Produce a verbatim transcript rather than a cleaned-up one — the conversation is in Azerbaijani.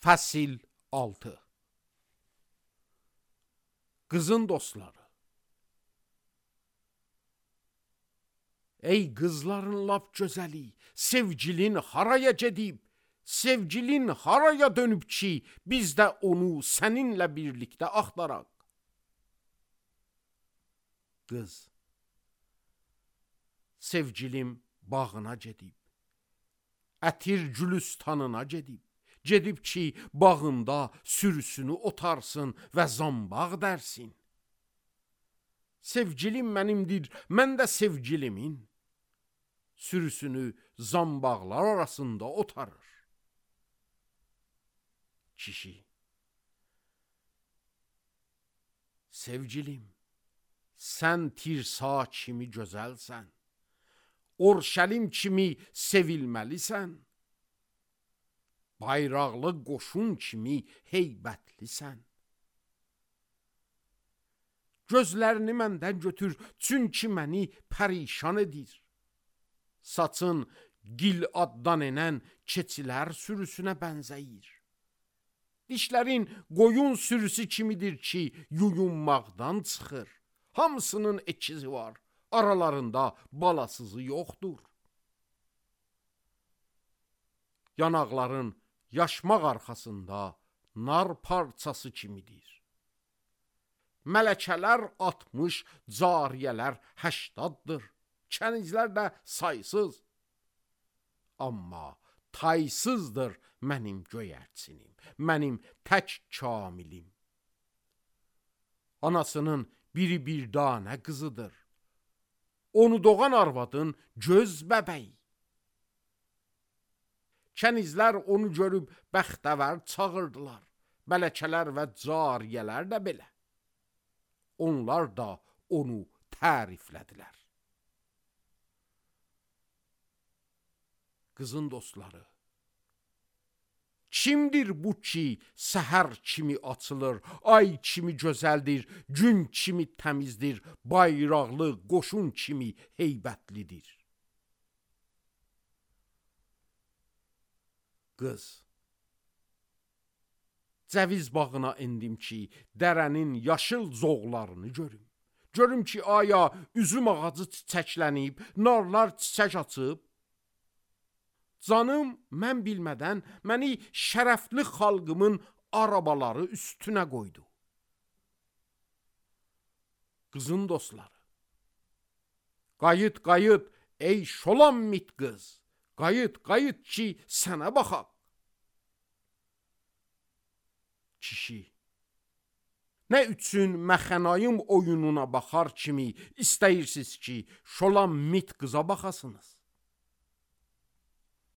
Fəsil altı. Qızın dostları. Ey qızların lap gözəli, sevgilin haraya gedib, sevgilin haraya dönüb ki, biz də onu səninlə birlikdə axtaraq. Qız. Sevgilim bağına gedib, ətir gülüstanına gedib, gedib ki, bağında sürüsünü otarsın və zambaq dərsin. Sevgilim mənimdir, mən də sevgilimin. Sürüsünü zambaqlar arasında otarır. Kişi. Sevgilim, sən tirsa kimi gözəlsən, Orşəlim kimi sevilməlisən, bayraqlı qoşun kimi heybətlisən. Gözlərini məndən götür, çünki məni pərişan edir. Saçın gil addan enən keçilər sürüsünə bənzəyir. Dişlərin qoyun sürüsü kimidir ki, yuyunmaqdan çıxır. Hamısının ikizi var, aralarında balasızı yoxdur. Yanaqların yaşmaq arxasında nar parçası kimidir. Mələkələr altmış, cariyələr həştaddır. Kənizlər də saysız. Amma taysızdır mənim göyərçinim, mənim tək kamilim. Anasının biri bir danə qızıdır. Onu doğan arvadın göz bəbəyi. Kənizlər onu görüb bəxtəvər çağırdılar. Mələkələr və cariyələr də belə. Onlar da onu təriflədilər. Qızın dostları. Kimdir bu ki, səhər kimi açılır, ay kimi gözəldir, gün kimi təmizdir, bayraqlı qoşun kimi heybətlidir. Qız. Cəviz bağına endim ki, dərənin yaşıl zoğlarını görüm. Görüm ki, aya üzüm ağacı çiçəklənib, narlar çiçək açıb. Canım, mən bilmədən məni şərəfli xalqımın arabaları üstünə qoydu. Qızın dostları. Qayıt, qayıt, ey şolanmit qız. Qayıt, qayıt ki, sənə baxaq. Kişi. Nə üçün məxənayım oyununa baxar kimi istəyirsiniz ki, şolanmit qıza baxasınız?